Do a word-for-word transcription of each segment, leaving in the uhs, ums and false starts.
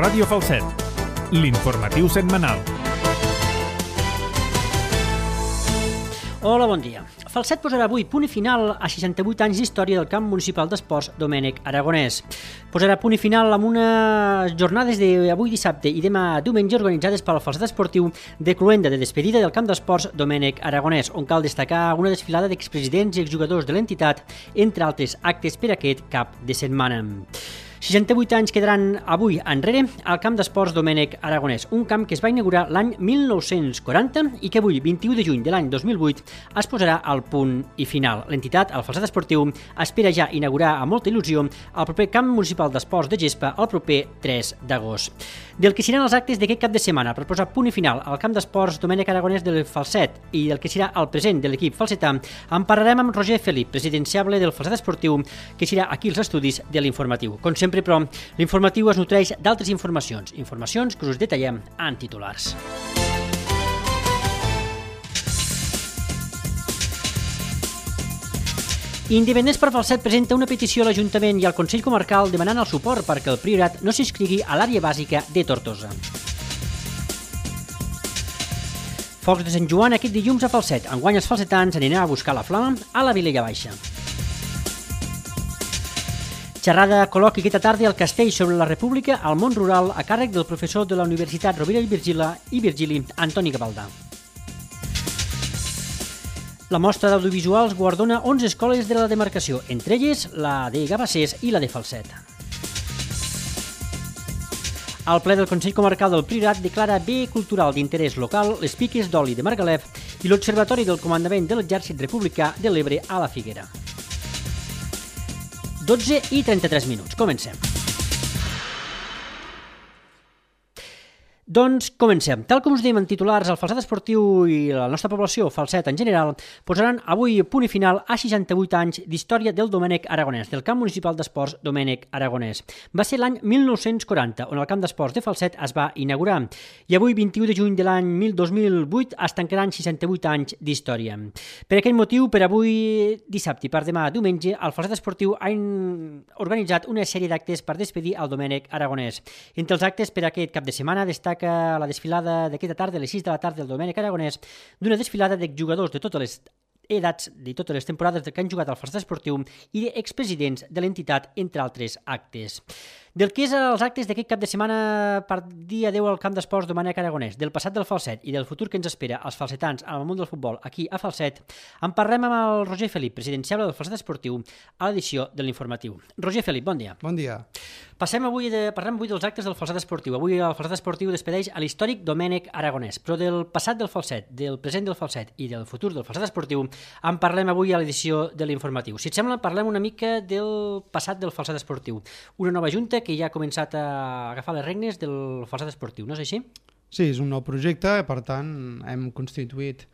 Ràdio Falset, l'informatiu setmanal. Hola, bon dia. Falset posarà avui punt i final a seixanta-vuit anys d'història del camp municipal d'esports Domènec Aragonès. Posarà punt i final amb unes jornades d'avui dissabte i demà diumenge organitzades pel Falset Esportiu de Cluenda de despedida del camp d'esports Domènec Aragonès, on cal destacar una desfilada d'expresidents i exjugadors de l'entitat, entre altres actes per aquest cap de setmana. seixanta-vuit anys quedaran avui enrere al camp d'esports Domènec Aragonès, un camp que es va inaugurar l'any mil nou-cents quaranta i que avui, vint-i-u de juny de l'any dos mil vuit, es posarà al punt i final. L'entitat, el Falset Esportiu, espera ja inaugurar amb molta il·lusió el proper camp municipal d'esports de gespa el proper tres d'agost. Del que seran els actes d'aquest cap de setmana per posar punt i final al camp d'esports Domènec Aragonès del Falset i del que serà el present de l'equip falsetà, en parlarem amb Roger Felip, presidenciable del Falset Esportiu, que serà aquí als estudis de l'informatiu. Com sempre, però, l'informatiu es nutreix d'altres informacions, informacions que us detallem en titulars. Independents per Falset presenta una petició a l'Ajuntament i al Consell Comarcal demanant el suport perquè el Priorat no s'inscrigui a l'àrea bàsica de Tortosa. Focs de Sant Joan aquest dilluns a Falset. Enguany els falsetans aniran a buscar la flama a la Vilella Baixa. Xerrada col·loqui aquesta tarda al Castell sobre la República al món rural a càrrec del professor de la Universitat Rovira i Virgili, i Virgili Antoni Gavaldà. La mostra d'audiovisuals guardona onze escoles de la demarcació, entre elles la de Gabassers i la de Falset. El ple del Consell Comarcal del Priorat declara bé cultural d'interès local les piques d'oli de Margalef i l'Observatori del Comandament de l'Exèrcit Republicà de l'Ebre a la Figuera. dotze i trenta-tres minuts. Comencem. Doncs comencem. Tal com us dèiem en titulars, el Falset Esportiu i la nostra població, Falset en general, posaran avui punt i final a seixanta-vuit anys d'història del Domènec Aragonès, del camp municipal d'esports Domènec Aragonès. Va ser l'any mil nou-cents quaranta, on el camp d'esports de Falset es va inaugurar, i avui, vint-i-u de juny de l'any dos mil vuit, es tancaran seixanta-vuit anys d'història. Per aquest motiu, per avui dissabte i per demà diumenge, el Falset Esportiu ha organitzat una sèrie d'actes per despedir el Domènec Aragonès. Entre els actes per aquest cap de setmana destaca la desfilada d'aquesta tarda, a les sis de la tarda, del Domènec Aragonès, d'una desfilada d'exjugadors de totes les edats, de totes les temporades que han jugat al Falset Esportiu i d'expresidents de l'entitat, entre altres actes. Del que és els actes d'aquest cap de setmana per dia deu al camp d'esports Domènec Aragonès, del passat del Falset i del futur que ens espera als falsetans en el món del futbol aquí a Falset, en parlem amb el Roger Felip, presidenciable del Falset Esportiu, a l'edició de l'informatiu. Roger Felip, bon dia. Bon dia. Passem avui de, parlem avui dels actes del Falset Esportiu. Avui el Falset Esportiu despedeix a l'històric Domènec Aragonès, però del passat del Falset, del present del Falset i del futur del Falset Esportiu en parlem avui a l'edició de l'informatiu. Si et sembla, parlem una mica del passat del Falset Esportiu. Una nova junta que ja ha començat a agafar les regnes del Falset Esportiu, no és així? Sí, és un nou projecte, per tant hem constituït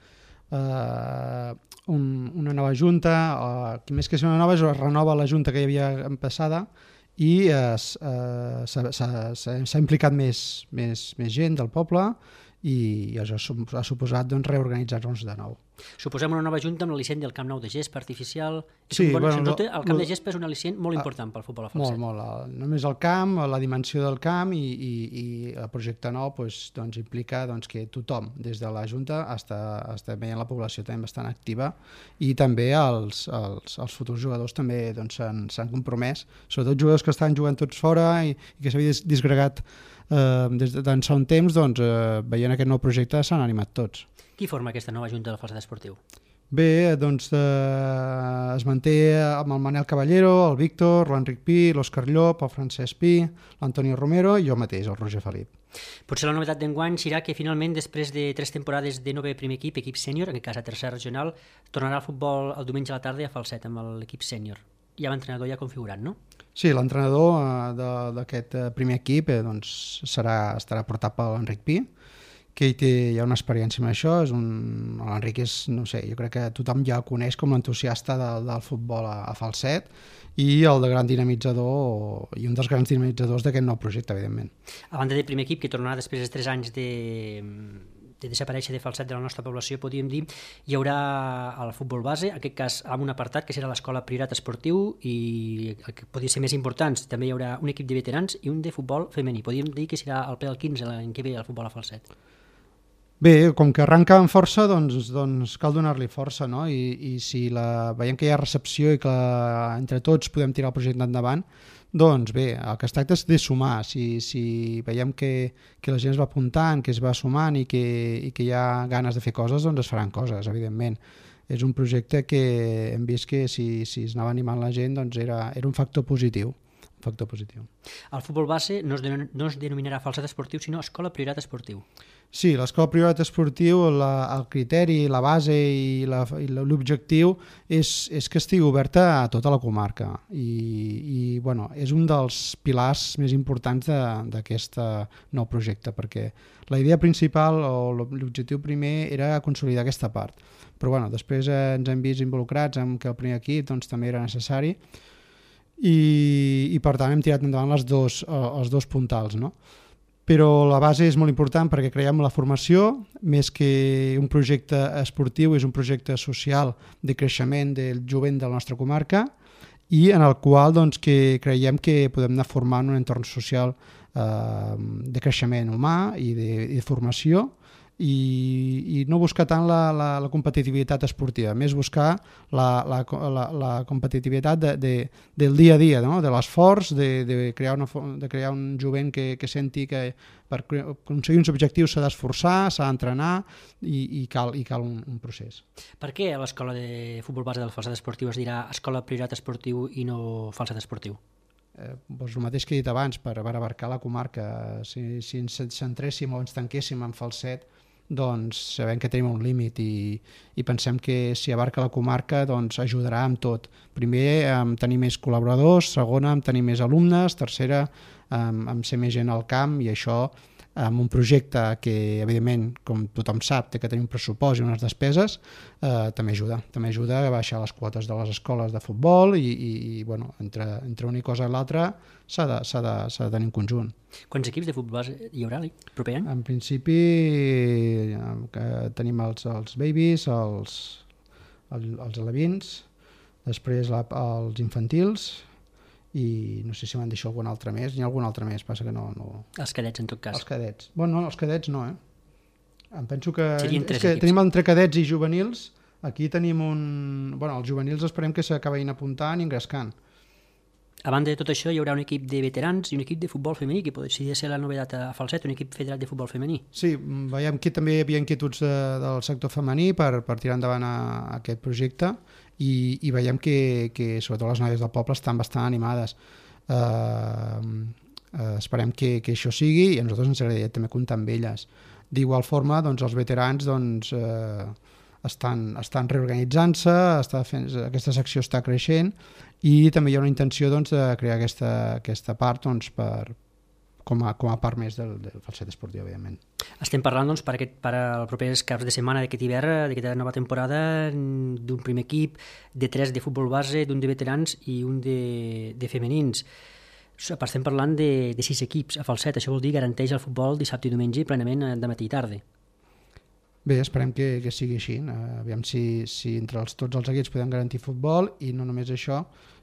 eh, un, una nova junta, eh, més que ser una nova, es renova la junta que hi havia passada i eh, s'ha implicat més, més, més gent del poble i això ha suposat doncs, reorganitzar-nos de nou. Suposem una nova junta amb l'al·licient del Camp Nou de gespa artificial. Sí, bon, bueno, no, el camp no, de gespa és un al·licient molt important pel futbol a Falset. Molt, molt. Només el camp, la dimensió del camp i, i, i el projecte nou doncs, doncs, implica doncs, que tothom, des de la Junta està, està veient la població també bastant activa i també els, els, els futurs jugadors també doncs, s'han compromès, sobretot jugadors que estan jugant tots fora i, i que s'havia disgregat eh, des d'ençà un temps, doncs, eh, veient aquest nou projecte s'han animat tots. Qui forma aquesta nova junta del Falset Esportiu? Bé, doncs eh, es manté amb el Manel Caballero, el Víctor, l'Enric Pi, l'Òscar Llop, el Francesc Pi, l'Antonio Romero i jo mateix, el Roger Felip. Potser la novetat d'enguany serà que finalment, després de tres temporades de nou primer equip, equip sènior, en aquest cas a tercera regional, tornarà al futbol el diumenge a la tarda a Falset amb l'equip sènior. Hi ha l'entrenador ja configurat, no? Sí, l'entrenador eh, d'aquest primer equip eh, doncs, serà, estarà portat per l'Enric Pi, que hi té ja una experiència amb això. L'Enric és, no sé, jo crec que tothom ja el coneix com l'entusiasta de, del futbol a, a Falset i el de gran dinamitzador i un dels grans dinamitzadors d'aquest nou projecte, evidentment. A banda del primer equip, que tornarà després de tres anys de de desaparèixer de Falset de la nostra població, podríem dir, hi haurà el futbol base, en aquest cas amb un apartat que serà l'Escola Priorat Esportiu, i el que podria ser més important, també hi haurà un equip de veterans i un de futbol femení. Podríem dir que serà el P del quinze l'any que ve el futbol a Falset. Bé, com que arranca amb força, doncs, doncs cal donar-li força, no? I, i si la, veiem que hi ha recepció i que entre tots podem tirar el projecte endavant, doncs bé, el que es tracta és de sumar. Si, si veiem que, que la gent es va apuntant, que es va sumant i que, i que hi ha ganes de fer coses, doncs es faran coses, evidentment. És un projecte que hem vist que si, si es anava animant la gent doncs era, era un factor positiu. Un factor positiu. El futbol base no es, denom no es denominarà Falset Esportiu, sinó Escola Priorat Esportiu. Sí, l'Escola Priorat Esportiu, la, el criteri, la base i l'objectiu és, és que estigui oberta a tota la comarca i, i bueno, és un dels pilars més importants d'aquest nou projecte, perquè la idea principal o l'objectiu primer era consolidar aquesta part, però bueno, després eh, ens hem vist involucrats amb que el primer equip doncs, també era necessari i, i per tant hem tirat endavant les dos, els dos puntals, no? Però la base és molt important perquè creiem la formació, més que un projecte esportiu, és un projecte social de creixement del jovent de la nostra comarca i en el qual doncs, que creiem que podem anar formant un entorn social eh, de creixement humà i de, i de formació i, i no buscar tant la, la, la competitivitat esportiva, més buscar la, la, la, la competitivitat de, de, del dia a dia, no? De l'esforç, de, de, crear una, de crear un jovent que, que senti que per aconseguir uns objectius s'ha d'esforçar, s'ha d'entrenar i, i cal, i cal un, un procés. Per què a l'escola de futbol base del Falset Esportiu es dirà Escola Priorat Esportiu i no Falset Esportiu? Eh, doncs el mateix que he dit abans, per, per abarcar la comarca. Si, si ens centréssim o ens tanquéssim en Falset, doncs sabem que tenim un límit i, i pensem que si abarca la comarca doncs ajudarà amb tot. Primer, amb tenir més col·laboradors, segona, amb tenir més alumnes, tercera, amb, amb ser més gent al camp i això amb un projecte que, evidentment, com tothom sap, té que tenir un pressupost i unes despeses, eh, també ajuda. També ajuda a baixar les quotes de les escoles de futbol i, i, i bueno, entre, entre una cosa i l'altra s'ha de, s'ha de, s'ha de tenir un conjunt. Quants equips de futbol hi haurà el proper any? En principi eh, tenim els, els babies, els, els, els alevins, després la, els infantils, i no sé si m'han deixat algun altre més, n'hi ha algun altre més, passa que no... no... Els cadets, en tot cas. Els cadets. Bueno, no, els cadets no, eh? Em penso que... Serien tres és que equips. Tenim entre cadets i juvenils, aquí tenim un... Bueno, els juvenils esperem que s'acabin apuntant i engrescant. A banda de tot això, hi haurà un equip de veterans i un equip de futbol femení, que podria ser la novetat a Falset, un equip federat de futbol femení. Sí, veiem que també hi havia inquietuds de, del sector femení per, per tirar endavant a, a aquest projecte i, i veiem que, que sobretot les noies del poble estan bastant animades. Eh, eh, esperem que, que això sigui i a nosaltres ens agradaria també comptar amb elles. D'igual forma, doncs, els veterans doncs, eh, estan, estan reorganitzant-se, està fent, aquesta secció està creixent i també hi ha una intenció doncs, de crear aquesta, aquesta part doncs, per, com, a, com a part més del, del Falset Esportiu, evidentment. Estem parlant doncs, per, aquest, per als propers caps de setmana d'aquest hivern, d'aquesta nova temporada, d'un primer equip, de tres de futbol base, d'un de veterans i un de, de femenins. Estem parlant de, de sis equips a Falset, això vol dir garanteix el futbol dissabte i diumenge plenament de matí i tarda. Bé, esperem que, que sigui així. Aviam si, si entre els, tots els equips podem garantir futbol i no només això,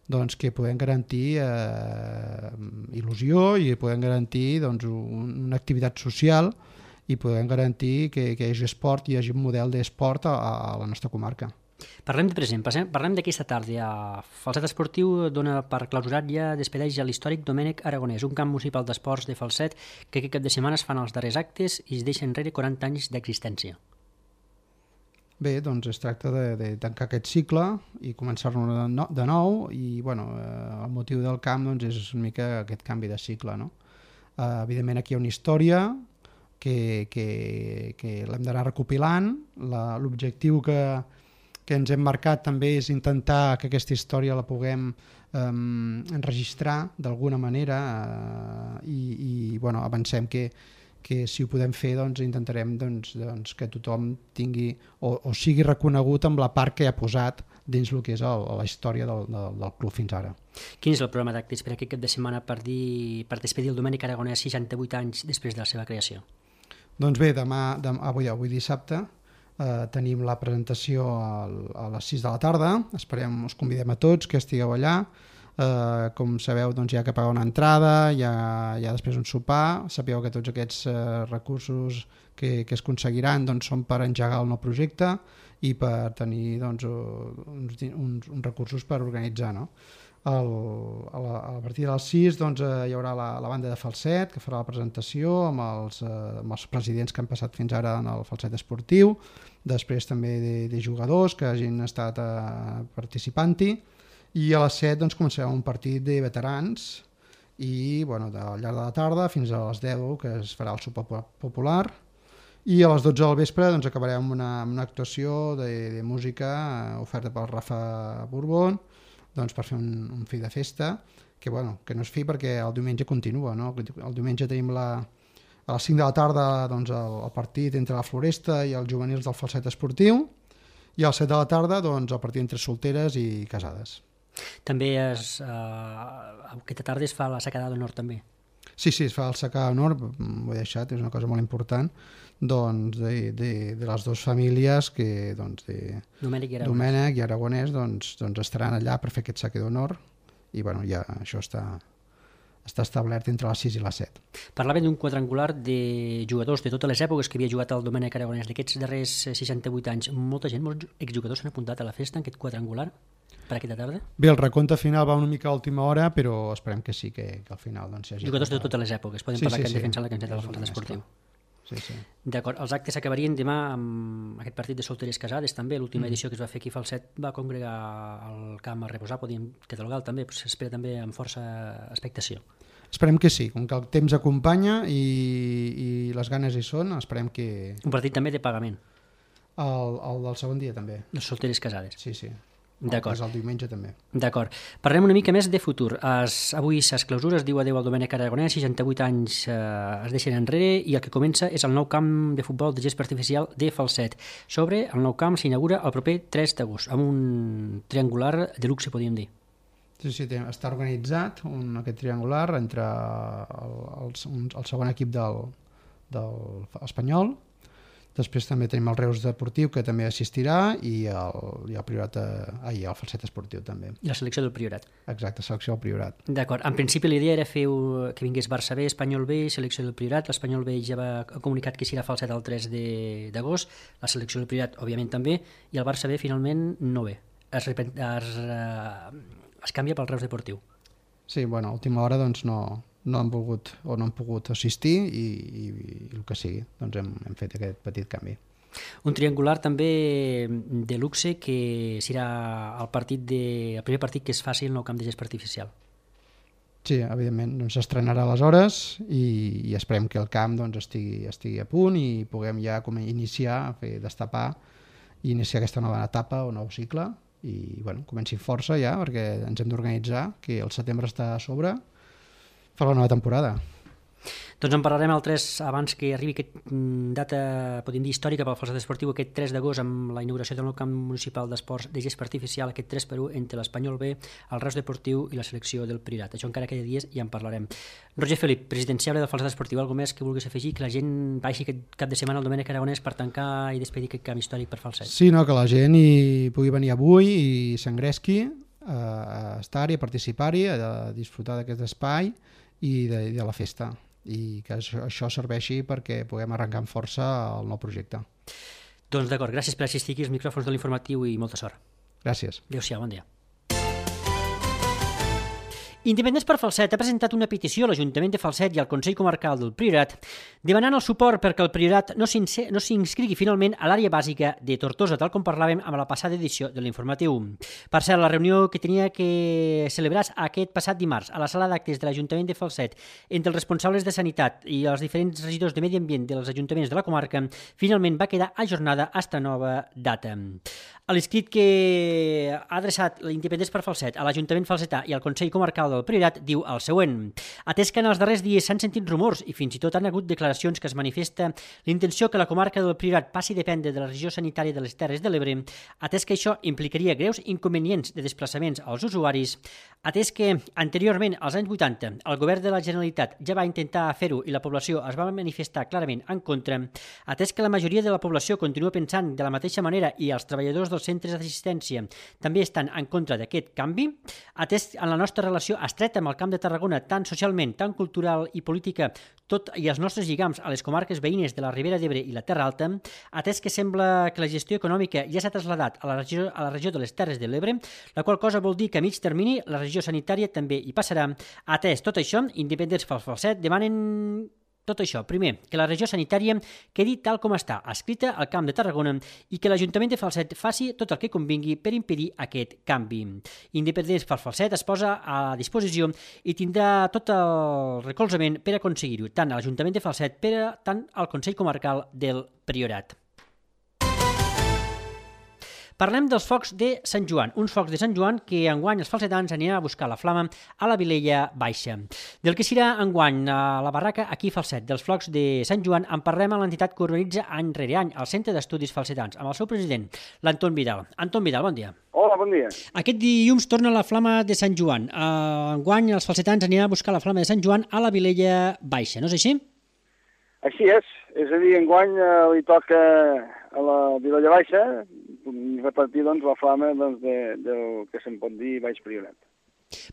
doncs que podem garantir eh, il·lusió i podem garantir doncs, un, una activitat social i podem garantir que, que hi hagi esport i hi hagi un model d'esport a, a la nostra comarca. Parlem de present, parlem d'aquesta tarda. Falset Esportiu dona per clausurat ja, despedeix a l'històric Domènec Aragonès, un camp municipal d'esports de Falset que aquest cap de setmana es fan els darrers actes i es deixa enrere quaranta anys d'existència. Bé, doncs es tracta de, de tancar aquest cicle i començar-lo de, no, de nou i bueno, eh, el motiu del camp doncs, és una mica aquest canvi de cicle. No? Eh, evidentment aquí hi ha una història que, que, que l'hem d'anar recopilant, l'objectiu que, que ens hem marcat també és intentar que aquesta història la puguem eh, enregistrar d'alguna manera eh, i, i bueno, avancem que que si ho podem fer doncs, intentarem doncs, doncs, que tothom tingui o, o sigui reconegut amb la part que ha posat dins el que és el, la història del, del, del club fins ara. Quin és el programa d'actes per aquest cap de setmana per, dir, per despedir el Domènec Aragonès seixanta-vuit anys després de la seva creació? Doncs bé, demà, demà avui, avui dissabte, eh, tenim la presentació al, a les sis de la tarda. Esperem, us convidem a tots que estigueu allà. Uh, com sabeu, doncs, hi ha que pagar una entrada, hi ha, hi ha després un sopar. Sapeu que tots aquests uh, recursos que, que es aconseguiran doncs, són per engegar el nou projecte i per tenir doncs, uns, uns, uns recursos per organitzar, no? El, a, la, a partir de les sis doncs, uh, hi haurà la, la banda de falset que farà la presentació amb els, uh, amb els presidents que han passat fins ara en el falset esportiu, després també de, de jugadors que hagin estat uh, participant-hi. I a les set doncs, començarem un partit de veterans i bueno, de, al llarg de la tarda fins a les deu que es farà el sopar popular i a les dotze del vespre doncs, acabarem amb una, una actuació de, de música oferta pel Rafa Borbón doncs, per fer un, un fi de festa que, bueno, que no és fi perquè el diumenge continua, no? El diumenge tenim la, a les cinc de la tarda doncs, el, el partit entre la Floresta i els juvenils del falset esportiu i a les set de la tarda doncs, el partit entre solteres i casades. També es, uh, aquesta tarda es fa la secada d'honor també. Sí, sí, es fa el secà d'honor, ho he deixat, és una cosa molt important, doncs de, de, de les dues famílies que doncs, de Domènec i Aragonès, Domènec i Aragonès doncs, doncs estaran allà per fer aquest secà d'honor i bueno, ja això està, està establert entre les sis i les set. Parlàvem d'un quadrangular de jugadors de totes les èpoques que havia jugat el Domènec Aragonès d'aquests darrers seixanta-vuit anys. Molta gent, molts exjugadors s'han apuntat a la festa en aquest quadrangular per aquesta tarda? Bé, el recompte final va una mica a última hora, però esperem que sí, que, que al final doncs, hi hagi... Jugadors de totes les èpoques, podem sí, parlar sí, que han sí. defensat la camiseta del falset esportiu. Sí, sí. D'acord, els actes acabarien demà amb aquest partit de solteres casades també, l'última mm. edició que es va fer aquí a Falset va congregar el camp a reposar, podíem catalogar també, s'espera també amb força expectació. Esperem que sí, com que el temps acompanya i, i les ganes hi són, esperem que... Un partit també de pagament. El, el del segon dia també. Les solteres casades. Sí, sí. D'acord. El diumenge també. D'acord. Parlem una mica més de futur. Es, avui ses clausures, diu adeu al Domènec Aragonès, seixanta-vuit anys eh, es deixen enrere i el que comença és el nou camp de futbol de gespa artificial de Falset. Sobre el nou camp s'inaugura el proper tres d'agost, amb un triangular de luxe, podríem dir. Sí, sí, està organitzat un, aquest triangular entre el, el, el, el segon equip del, del Espanyol. Després també tenim el Reus Deportiu, que també assistirà, i el, i el Priorat, ah, i el Falset Esportiu també. I la selecció del Priorat. Exacte, selecció del Priorat. D'acord. En principi l'idea era fer que vingués Barça B, Espanyol B, selecció del Priorat. L'Espanyol B ja va comunicat que serà Falset el tres d'agost, la selecció del Priorat, òbviament, també, i el Barça B finalment no ve. Es, es, es canvia pel Reus Deportiu. Sí, bueno, a última hora doncs no... no han volgut o no han pogut assistir i, i, i el que sigui, doncs hem, hem fet aquest petit canvi. Un triangular també de luxe que serà el, partit de, el primer partit que es faci al nou camp de gespa artificial. Sí, evidentment, doncs s'estrenarà aleshores i, i esperem que el camp doncs, estigui, estigui a punt i puguem ja com iniciar, fer destapar i iniciar aquesta nova etapa o nou cicle i bueno, comenci força ja perquè ens hem d'organitzar, que el setembre està a sobre per la nova temporada. Doncs en parlarem el tres abans que arribi aquesta data, podem dir, històrica pel falset esportiu, aquest tres d'agost amb la inauguració del nou camp municipal d'esports de gespa artificial, aquest tres per u entre l'Espanyol B, el Reus Deportiu i la selecció del Priorat. Això encara queda dies i en parlarem. Roger Felip, presidenciable del falset esportiu, alguna més que vulguis afegir, que la gent vagi aquest cap de setmana al Domènec Aragonès per tancar i despedir aquest camp històric per falset? Sí, no, que la gent hi pugui venir avui i s'engresqui a estar-hi, a participar-hi, a disfrutar d'aquest espai i de, de la festa i que això, això serveixi perquè puguem arrencar amb força el nou projecte. Doncs d'acord, gràcies per assistir aquí als micròfons de l'informatiu i molta sort. Gràcies. Adéu-siau, bon dia. Independents per Falset ha presentat una petició a l'Ajuntament de Falset i al Consell Comarcal del Priorat demanant el suport perquè el Priorat no s'inscrigui finalment a l'àrea bàsica de Tortosa, tal com parlàvem amb la passada edició de l'informatiu. Per cert, la reunió que tenia que celebrar aquest passat dimarts a la sala d'actes de l'Ajuntament de Falset entre els responsables de Sanitat i els diferents regidors de Medi Ambient dels ajuntaments de la comarca finalment va quedar ajornada hasta nova data. A l'escrit que ha adreçat l'Independents per Falset a l'Ajuntament falsetà i al Consell Comarcal del del Priorat diu el següent. Atès que en els darrers dies s'han sentit rumors i fins i tot han hagut declaracions que es manifesta l'intenció que la comarca del Priorat passi a dependre de la regió sanitària de les Terres de l'Ebre, atès que això implicaria greus inconvenients de desplaçaments als usuaris, atès que anteriorment, als anys vuitanta, el govern de la Generalitat ja va intentar fer-ho i la població es va manifestar clarament en contra, atès que la majoria de la població continua pensant de la mateixa manera i els treballadors dels centres d'assistència també estan en contra d'aquest canvi, atès en la nostra relació estreta amb el Camp de Tarragona, tant socialment, tant cultural i política, tot i els nostres lligams a les comarques veïnes de la Ribera d'Ebre i la Terra Alta, atès que sembla que la gestió econòmica ja s'ha traslladat a la regió, a la regió de les Terres de l'Ebre, la qual cosa vol dir que a mig termini la regió sanitària també hi passarà. Atès tot això, independents pel Falset demanen tot això. Primer, que la regió sanitària quedi tal com està, escrita al Camp de Tarragona, i que l'Ajuntament de Falset faci tot el que convingui per impedir aquest canvi. Independents pel Falset es posa a disposició i tindrà tot el recolzament per aconseguir-ho, tant a l'Ajuntament de Falset per a tant al Consell Comarcal del Priorat. Parlem dels focs de Sant Joan, uns focs de Sant Joan que enguany els falsetans aniran a buscar la flama a la Vilella Baixa. Del que serà enguany a la barraca aquí a Falset dels focs de Sant Joan en parlem a l'entitat que organitza any rere any el Centre d'Estudis Falsetans, amb el seu president, l'Anton Vidal. Anton Vidal, bon dia. Hola, bon dia. Aquest dilluns torna la flama de Sant Joan. Enguany els falsetans aniran a buscar la flama de Sant Joan a la Vilella Baixa, no és així? Així és. És a dir, enguany eh, li toca a la Vilella Baixa repartir doncs, la flama doncs, de, del que se'n pot dir Baix Priorat.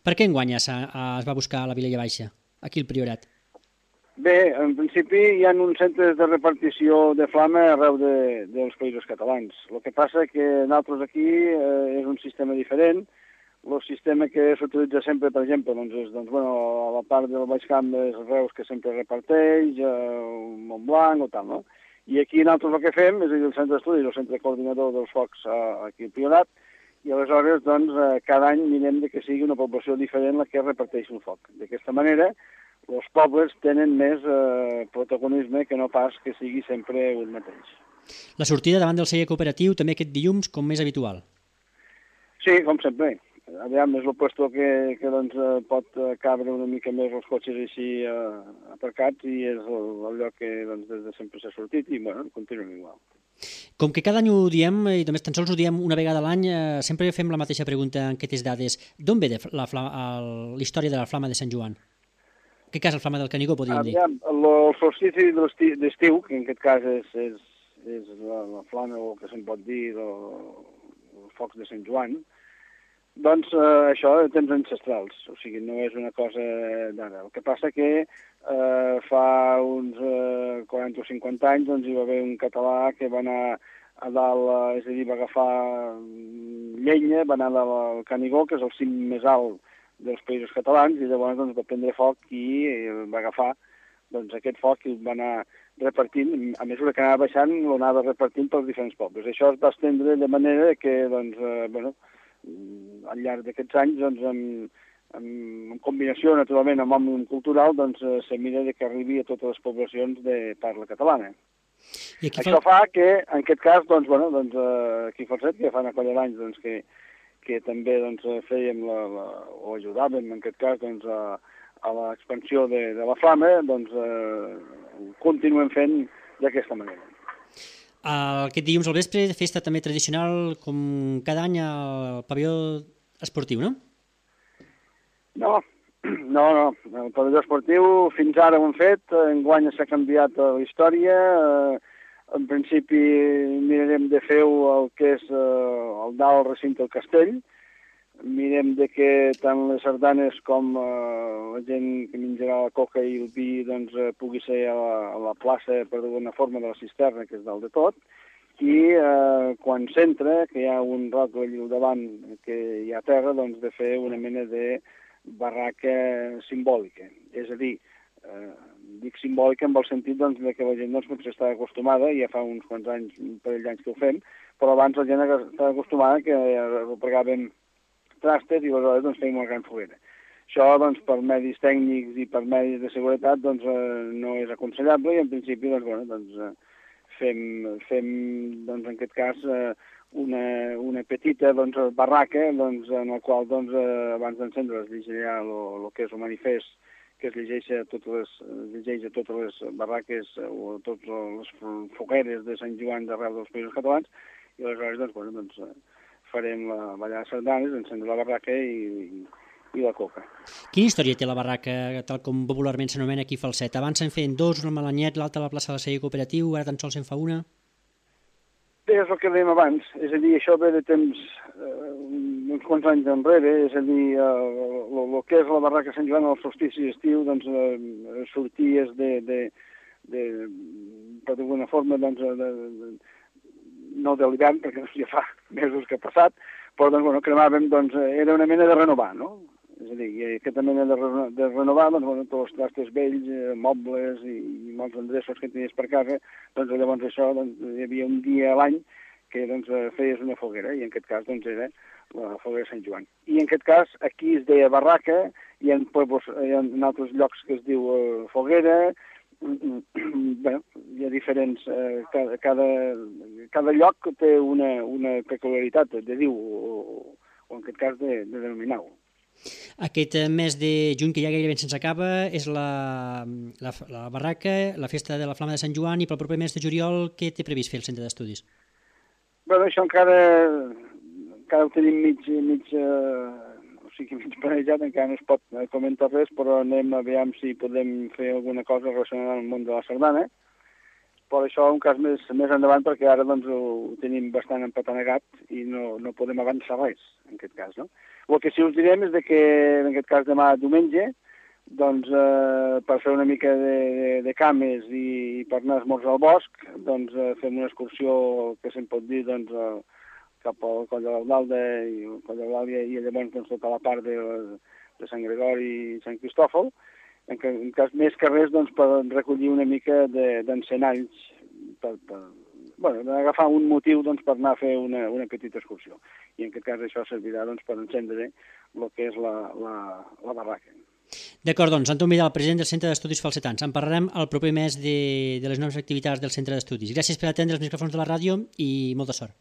Per què enguany es, es va buscar a la Vilella Baixa, aquí al Priorat? Bé, en principi hi ha uns centres de repartició de flama arreu de, dels països catalans. El que passa que nosaltres aquí eh, és un sistema diferent. El sistema que s'utilitza sempre, per exemple, doncs, és doncs, bueno, a la part del Baix Camp és Reus que sempre reparteix, eh, Montblanc o tal, no? I aquí nosaltres el que fem és el centre d'estudi, el centre coordinador dels focs eh, aquí al Priorat, i aleshores doncs, eh, cada any mirem de que sigui una població diferent la que reparteix el foc. D'aquesta manera, els pobles tenen més eh, protagonisme que no pas que sigui sempre un mateix. La sortida davant del celler cooperatiu també aquest dilluns com més habitual? Sí, com sempre. Aviam, és el puesto que, que doncs, pot cabre una mica més els cotxes així eh, aparcats i és el, el lloc que doncs, des de sempre s'ha sortit i bueno, continuem igual. Com que cada any ho diem, i només tan sols ho diem una vegada a l'any, eh, sempre fem la mateixa pregunta en aquestes dades. D'on ve la, la història de la flama de Sant Joan? En aquest cas, la flama del Canigó, podríem dir. Aviam, el solstici d'estiu, que en aquest cas és, és, és la, la flama, o que se'n pot dir, els focs de Sant Joan, doncs eh, això de temps ancestrals, o sigui, no és una cosa d'ara. El que passa que eh, fa uns eh, quaranta o cinquanta anys doncs, hi va haver un català que va anar a dalt, eh, és a dir, va agafar llenya, va anar al Canigó, que és el cim més alt dels països catalans, i llavors doncs, va prendre foc i va agafar doncs, aquest foc i el va anar repartint, a mesura que anava baixant, l'anava repartint pels diferents pobles. Això es va estendre de manera que, doncs, eh, bueno, al llarg d'aquests anys, doncs, en, en, en combinació, naturalment, amb òmnium cultural, doncs, se mira de que arribi a totes les poblacions de parla catalana. I Això fa... fa que, en aquest cas, doncs, bueno, doncs, aquí a Falset, que fa una colla d'anys doncs, que, que també doncs, fèiem, la, la, o ajudàvem, en aquest cas, doncs, a, a l'expansió de, de la flama, doncs, eh, continuem fent d'aquesta manera. Aquest dilluns al vespre, festa també tradicional, com cada any, al pavelló esportiu, no? No, no, no. El pavelló esportiu fins ara ho hem fet, enguany s'ha canviat la història. En principi mirarem de fer el que és el dalt recinte del castell. Mirem de que tant les sardanes com eh, la gent que menjarà la coca i el vi doncs, eh, pugui ser a la, a la plaça, per d'alguna forma, de la cisterna, que és dalt de tot, i eh, quan s'entra, que hi ha un rotlle al davant que hi ha terra, doncs de fer una mena de barraca simbòlica. És a dir, eh, dic simbòlica en el sentit doncs, de que la gent doncs, potser està acostumada, ja fa uns quants anys, un parell d'anys que ho fem, però abans la gent està acostumada que ho pregàvem trastes i aleshores doncs, fem una gran foguera. Això doncs, per medis tècnics i per medis de seguretat doncs, eh, no és aconsellable i en principi doncs, bueno, doncs, eh, fem, fem doncs, en aquest cas eh, una, una petita doncs, barraca doncs, en la qual doncs, abans d'encendre es llegirà el que és el manifest, que es llegeix a totes les, llegeix a totes les barraques o a totes les fogueres de Sant Joan d'arreu dels països catalans, i aleshores doncs, bueno, doncs, farem la ballada de sardanes, encendre la barraca i, i la coca. Quina història té la barraca, tal com popularment s'anomena aquí Falset? Abans se'n feien dos, una a Malanyet, l'altra a la plaça del Celler Cooperatiu, ara tan sols se'n fa una? Bé, és el que dèiem abans, és a dir, això ve de temps, eh, uns quants anys enrere, és a dir, el que és la barraca Sant Joan al solstici d'estiu, doncs, eh, sorties de, de, de, per d'alguna forma, doncs, de, de, no de l'hivern, perquè ja fa mesos que ha passat, però doncs, bueno, cremàvem, doncs, era una mena de renovar, no? És a dir, aquesta mena de, reno, de renovar, doncs, bueno, tots els trastos vells, eh, mobles i, i molts endreços que tenies per casa, doncs llavors això, doncs, hi havia un dia a l'any que doncs, feies una foguera, i en aquest cas doncs, era la foguera de Sant Joan. I en aquest cas aquí es deia barraca, i en, pueblos, hi ha en altres llocs que es diu eh, foguera. Bé, hi ha diferents, eh, cada, cada, cada lloc té una, una peculiaritat de dir-ho, o, o en aquest cas de, de denominar-ho. Aquest mes de juny, que ja gairebé se'ns acaba, és la, la, la barraca, la festa de la Flama de Sant Joan, i pel proper mes de juliol, què té previst fer el centre d'estudis? Bé, això encara, encara ho tenim mig, mig, eh, o sigui, mig planejat, encara no es pot comentar res, però anem a veure si podem fer alguna cosa relacionada amb el món de la sardana. Però això un cas més, més endavant, perquè ara doncs, ho tenim bastant empatanegat i no, no podem avançar res, en aquest cas, no? El que sí us direm és de que, en aquest cas, demà diumenge, doncs, eh, per fer una mica de, de, de cames i per anar a esmorzar al bosc, doncs, eh, fem una excursió que se'n pot dir, doncs, eh, cap al Coll de l'Aldalda i el Coll de l'Àlia, i llavors doncs, tota la part de, de Sant Gregori i Sant Cristòfol, en, que, en cas més que res doncs, per recollir una mica d'encenalls, de, per, per, bueno, agafar un motiu doncs, per anar a fer una, una petita excursió. I en aquest cas això servirà doncs, per encendre el que és la, la, la barraca. D'acord, doncs, Anton Vidal, president del Centre d'Estudis Falsetans. En parlarem el proper mes de, de les noves activitats del Centre d'Estudis. Gràcies per atendre els micròfons de la ràdio i molta sort.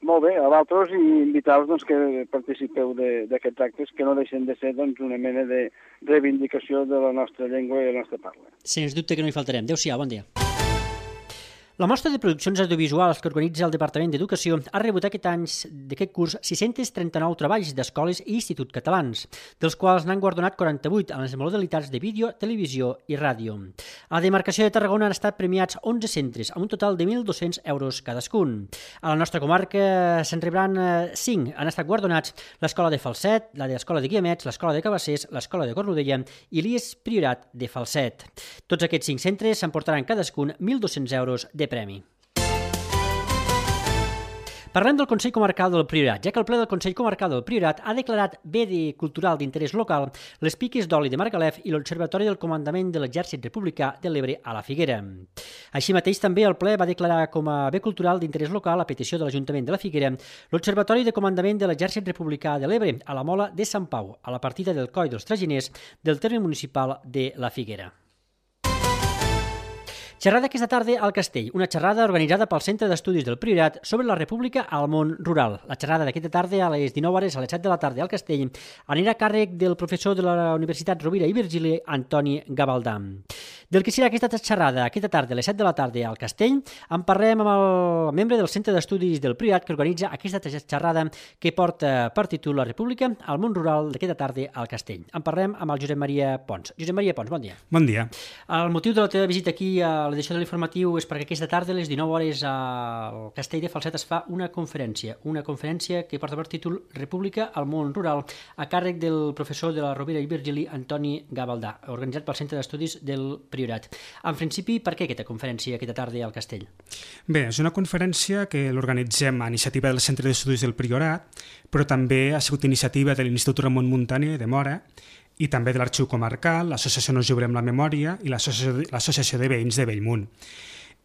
Molt bé, a vosaltres, i invitar-vos doncs, que participeu d'aquests actes, que no deixen de ser doncs, una mena de reivindicació de la nostra llengua i la nostra parla. Sens dubte que no hi faltarem. Adéu-siau, bon dia. La mostra de produccions audiovisuals que organitza el Departament d'Educació ha rebut aquest any d'aquest curs sis-cents trenta-nou treballs d'escoles i instituts catalans, dels quals n'han guardonat quaranta-vuit en les modalitats de vídeo, televisió i ràdio. A la demarcació de Tarragona han estat premiats onze centres, amb un total de mil dos-cents euros cadascun. A la nostra comarca se'n rebran cinc. Han estat guardonats l'Escola de Falset, la de l'Escola de Guiamets, l'Escola de Cabassers, l'Escola de Cornudella i l'I E S Priorat de Falset. Tots aquests cinc centres s'emportaran cadascun mil dos-cents euros de premi. Parlem del Consell Comarcal del Priorat, ja que el ple del Consell Comarcal del Priorat ha declarat bé de cultural d'interès local les piques d'oli de Margalef i l'Observatori del Comandament de l'Exèrcit Republicà de l'Ebre a la Figuera. Així mateix, també el ple va declarar com a bé cultural d'interès local, a petició de l'Ajuntament de la Figuera, l'Observatori de Comandament de l'Exèrcit Republicà de l'Ebre a la Mola de Sant Pau, a la partida del Coll dels Traginers del terme municipal de la Figuera. Xerrada aquesta tarda al Castell, una xerrada organitzada pel Centre d'Estudis del Priorat sobre la República al món rural. La xerrada d'aquesta tarda a les dinou hores, a les set de la tarda al Castell, anirà a càrrec del professor de la Universitat Rovira i Virgili, Antoni Gavaldà. Del que serà aquesta xerrada aquesta tarda a les set de la tarda al Castell, en parlem amb el membre del Centre d'Estudis del Priorat que organitza aquesta xerrada que porta per títol La República al món rural d'aquesta tarda al Castell. En parlem amb el Josep Maria Pons. Josep Maria Pons, bon dia. Bon dia. El motiu de la teva visita aquí a l'edició de l'informatiu és perquè aquesta tarda a les dinou hores al Castell de Falset es fa una conferència, una conferència que porta per títol República al món rural, a càrrec del professor de la Rovira i Virgili, Antoni Gavaldà, organitzat pel Centre d'Estudis del Priorat. En principi, per què aquesta conferència aquesta tarda al Castell? Bé, és una conferència que l'organitzem a iniciativa del Centre d'Estudis del Priorat, però també ha sigut iniciativa de l'Institut Ramon Muntaner de Móra i també de l'Arxiu Comarcal, l'Associació No Jugarem la Memòria i l'Associació de Veïns de Bellmunt.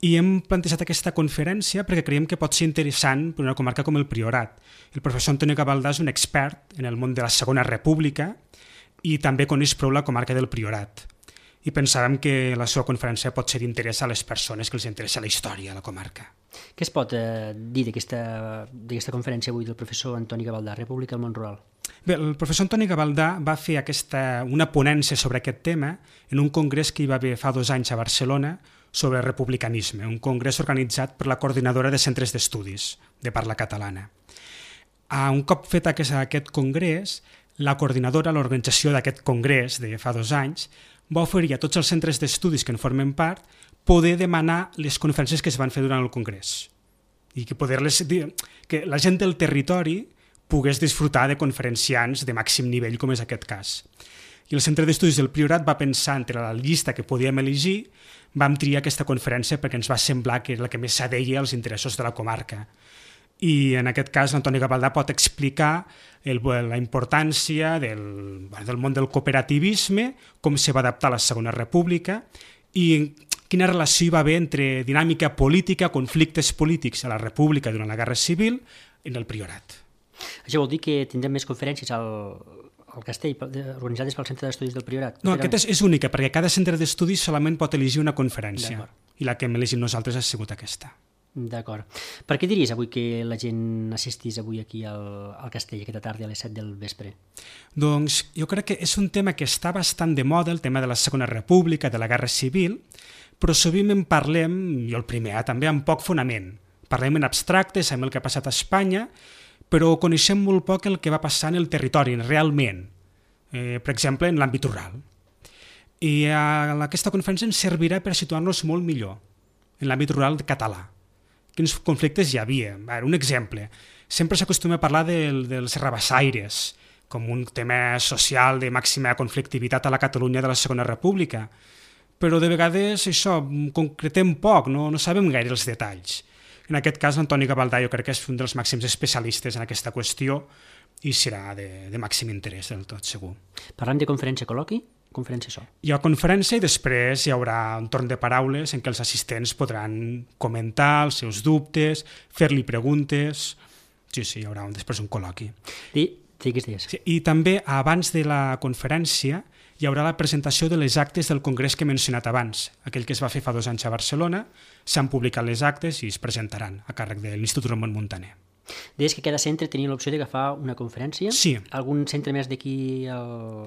I hem plantejat aquesta conferència perquè creiem que pot ser interessant per una comarca com el Priorat. El professor Antoni Gavaldà és un expert en el món de la Segona República i també coneix prou la comarca del Priorat. I pensàvem que la seva conferència pot ser d'interès a les persones que els interessa la història de la comarca. Què es pot eh, dir d'aquesta conferència avui del professor Antoni Gavaldà, República al món rural? Bé, el professor Antoni Gavaldà va fer aquesta, una ponència sobre aquest tema en un congrés que hi va haver fa dos anys a Barcelona sobre republicanisme, un congrés organitzat per la Coordinadora de Centres d'Estudis de Parla Catalana. A un cop fet aquest, aquest congrés, la coordinadora, l'organització d'aquest congrés de fa dos anys, va oferir a tots els centres d'estudis que en formen part poder demanar les conferències que es van fer durant el congrés i que, poder-les, que la gent del territori pogués disfrutar de conferenciants de màxim nivell, com és aquest cas. I el Centre d'Estudis del Priorat va pensar entre la llista que podíem elegir, vam triar aquesta conferència perquè ens va semblar que era la que més s'adeia als interessos de la comarca. I en aquest cas l'Antoni Gavaldà pot explicar el, la importància del, del món del cooperativisme, com se va adaptar a la Segona República i quina relació hi va haver entre dinàmica política, conflictes polítics a la República durant la Guerra Civil en el Priorat. Això vol dir que tindrem més conferències al, al Castell organitzades pel Centre d'Estudis del Priorat? No, aquesta és, és única, perquè cada centre d'estudis solament pot elegir una conferència i la que hem elegit nosaltres ha sigut aquesta. D'acord. Per què diries avui que la gent assistís avui aquí al, al Castell aquesta tarda a les set del vespre? Doncs jo crec que és un tema que està bastant de moda, el tema de la Segona República, de la Guerra Civil, però sovint en parlem, jo el primer, eh, també amb poc fonament. Parlem en abstracte, sabem el que ha passat a Espanya, però coneixem molt poc el que va passar en el territori, realment, eh, per exemple, en l'àmbit rural. I eh, aquesta conferència ens servirà per situar-nos molt millor en l'àmbit rural català. Quins conflictes hi havia? Un exemple, sempre s'acostuma a parlar del, dels rabassaires com un tema social de màxima conflictivitat a la Catalunya de la Segona República, però de vegades això concretem poc, no, no sabem gaire els detalls. En aquest cas, l'Antoni Gavaldà jo crec que és un dels màxims especialistes en aquesta qüestió i serà de, de màxim interès del tot segur. Parlem de conferència col·loqui? Conferència això. Hi ha conferència i després hi haurà un torn de paraules en què els assistents podran comentar els seus dubtes, fer-li preguntes. Sí, sí, hi haurà un, després un col·loqui. I, digues, digues. Sí, i també, abans de la conferència, hi haurà la presentació de les actes del congrés que he mencionat abans. Aquell que es va fer fa dos anys a Barcelona, s'han publicat les actes i es presentaran a càrrec de l'Institut Ramon Muntaner. Deies que cada centre tenia l'opció d'agafar una conferència? Sí. Algun centre més d'aquí a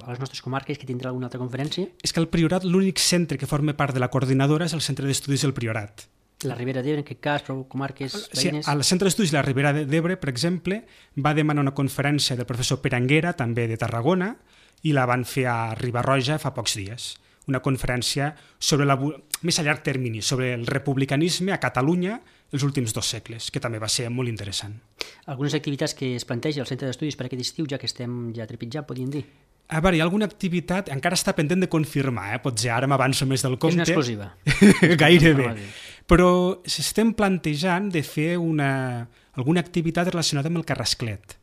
les nostres comarques que tindrà alguna altra conferència? És que el Priorat, l'únic centre que forma part de la coordinadora és el Centre d'Estudis del Priorat. La Ribera d'Ebre, en aquest cas, però comarques veïnes? Sí, al Centre d'Estudis de la Ribera d'Ebre, per exemple, va demanar una conferència del professor Pere Anguera, també de Tarragona, i la van fer a Riba-roja fa pocs dies. Una conferència sobre la, més a llarg termini, sobre el republicanisme a Catalunya els últims dos segles, que també va ser molt interessant. Algunes activitats que es planteja al Centre d'Estudis per aquest estiu, ja que estem ja trepitjant, podríem dir? A veure, hi ha alguna activitat, encara està pendent de confirmar, eh? Potser ara m'avanço més del compte. És una exclusiva. Gairebé. Però s'estem plantejant de fer una, alguna activitat relacionada amb el Carrasclet,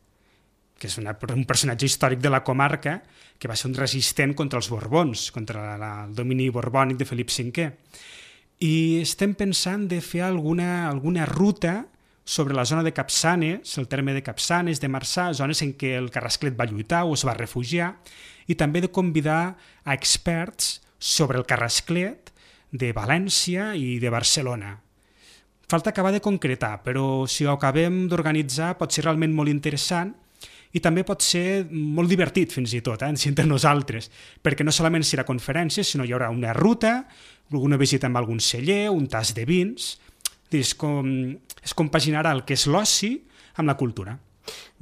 que és una, un personatge històric de la comarca que va ser un resistent contra els Borbons, contra la, el domini borbònic de Felip cinquè. I estem pensant de fer alguna, alguna ruta sobre la zona de Capçanes, el terme de Capçanes, de Marçà, zones en què el Carrasclet va lluitar o es va refugiar, i també de convidar a experts sobre el Carrasclet de València i de Barcelona. Falta acabar de concretar, però si ho acabem d'organitzar pot ser realment molt interessant i també pot ser molt divertit fins i tot, eh, entre nosaltres, perquè no solament serà conferències, sinó hi haurà una ruta, alguna visita amb algun celler, un tas de vins, és com, es compaginarà el que és l'oci amb la cultura.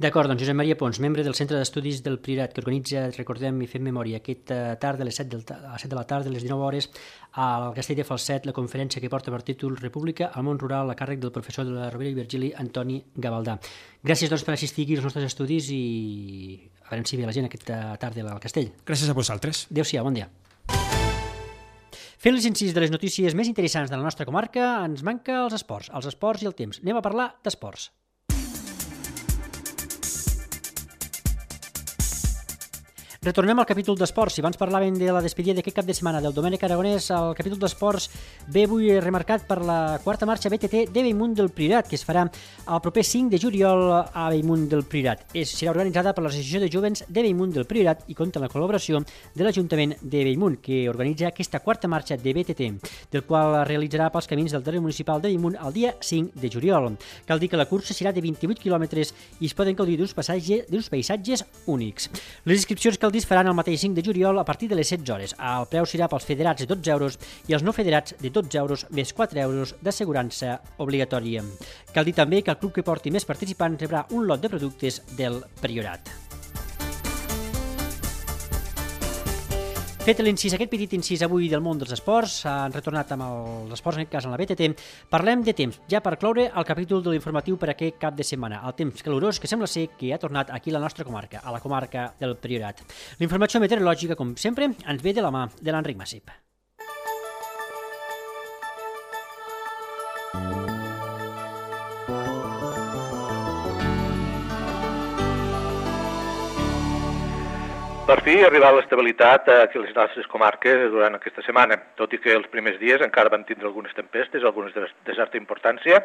D'acord, doncs Josep Maria Pons, membre del Centre d'Estudis del Priorat, que organitza, recordem i fem memòria, aquesta tarda a les set, del, a les set de la tarda, a les dinou hores, al Castell de Falset, la conferència que porta per títol República al món rural a càrrec del professor de la Rovira i Virgili, Antoni Gavaldà. Gràcies doncs, per assistir aquí als nostres estudis i a veure si ve la gent aquesta tarda al Castell. Gràcies a vosaltres. Adéu-siau, bon dia. Fent les incís de les notícies més interessants de la nostra comarca, ens manca els esports, els esports i el temps. Anem a parlar d'esports. Retornem al capítol d'esports. Si abans parlàvem de la despedida d'aquest cap de setmana del Domènec Aragonès, el capítol d'esports ve avui remarcat per la quarta marxa B T T de Bellmunt del Priorat, que es farà el proper cinc de juliol a Bellmunt del Priorat. És, serà organitzada per l'Associació de Jovents de Bellmunt del Priorat i compta amb la col·laboració de l'Ajuntament de Bellmunt, que organitza aquesta quarta marxa de B T T, del qual realitzarà pels camins del terreny municipal de Bellmunt el dia cinc de juliol. Cal dir que la cursa serà de vint-i-vuit quilòmetres i es poden gaudir d'uns paisatges únics. Les inscripcions que es faran el mateix cinc de juliol a partir de les setze hores. El preu serà pels federats de dotze euros i els no federats de dotze euros més quatre euros d'assegurança obligatòria. Cal dir també que el club que porti més participants rebrà un lot de productes del Priorat. Fet l'incís, aquest petit incís avui del món dels esports, han retornat amb els esports, en aquest cas en la B T T. Parlem de temps, ja per cloure el capítol de l'informatiu per aquest cap de setmana. El temps calorós que sembla ser que ha tornat aquí a la nostra comarca, a la comarca del Priorat. La informació meteorològica, com sempre, ens ve de la mà de l'Enric Massip. Per fi ha arribat l'estabilitat aquí a les nostres comarques durant aquesta setmana, tot i que els primers dies encara vam tindre algunes tempestes, algunes de certa importància,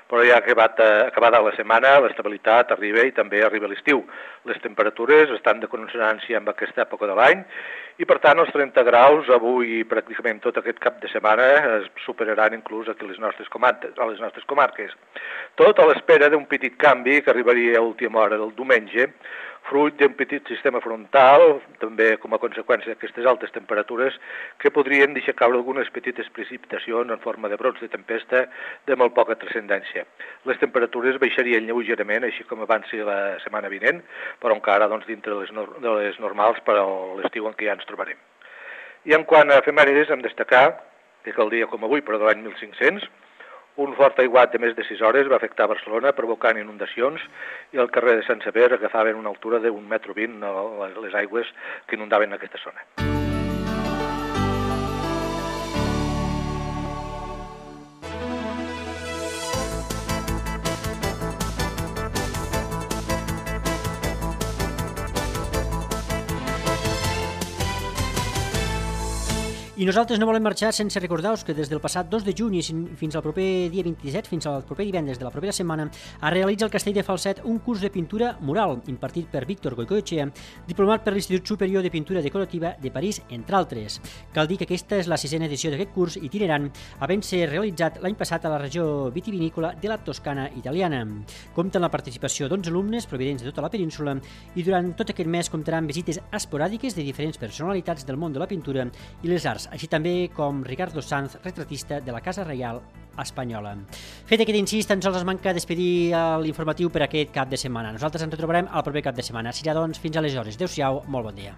però ja acabat, acabada la setmana l'estabilitat arriba i també arriba l'estiu. Les temperatures estan de consonància amb aquesta època de l'any i per tant els trenta graus avui pràcticament tot aquest cap de setmana es superaran inclús aquí a les nostres comarques. A les nostres comarques. Tot a l'espera d'un petit canvi que arribaria a última hora del diumenge, fruit d'un petit sistema frontal, també com a conseqüència d'aquestes altes temperatures, que podrien deixar caure algunes petites precipitacions en forma de brots de tempesta de molt poca transcendència. Les temperatures baixarien lleugerament, així com avanci la setmana vinent, però encara doncs, dintre de les, no de les normals per a l'estiu en què ja ens trobarem. I en quant a efemèrides, hem destacar que el dia com avui, però de l'any mil cinc-cents, un fort aiguat de més de sis hores va afectar Barcelona, provocant inundacions, i el carrer de Sant Sever agafaven una altura d'un metro vint les aigües que inundaven aquesta zona. I nosaltres no volem marxar sense recordar-vos que des del passat dos de juny fins al proper dia vint-i-set, fins al proper divendres de la propera setmana, es realitza al Castell de Falset un curs de pintura mural impartit per Víctor Goicoechea, diplomat per l'Institut Superior de Pintura Decorativa de París, entre altres. Cal dir que aquesta és la sisena edició d'aquest curs itinerant, havent-se realitzat l'any passat a la regió vitivinícola de la Toscana italiana. Compta amb la participació d'onze alumnes provinents de tota la península i durant tot aquest mes comptarà amb visites esporàdiques de diferents personalitats del món de la pintura i les arts, així també com Ricardo Sanz, retratista de la Casa Reial espanyola. Fet aquest incís, tan sols es manca despedir l'informatiu per aquest cap de setmana. Nosaltres ens retrobarem el proper cap de setmana. Serà, doncs, fins aleshores. Adéu-siau, molt bon dia.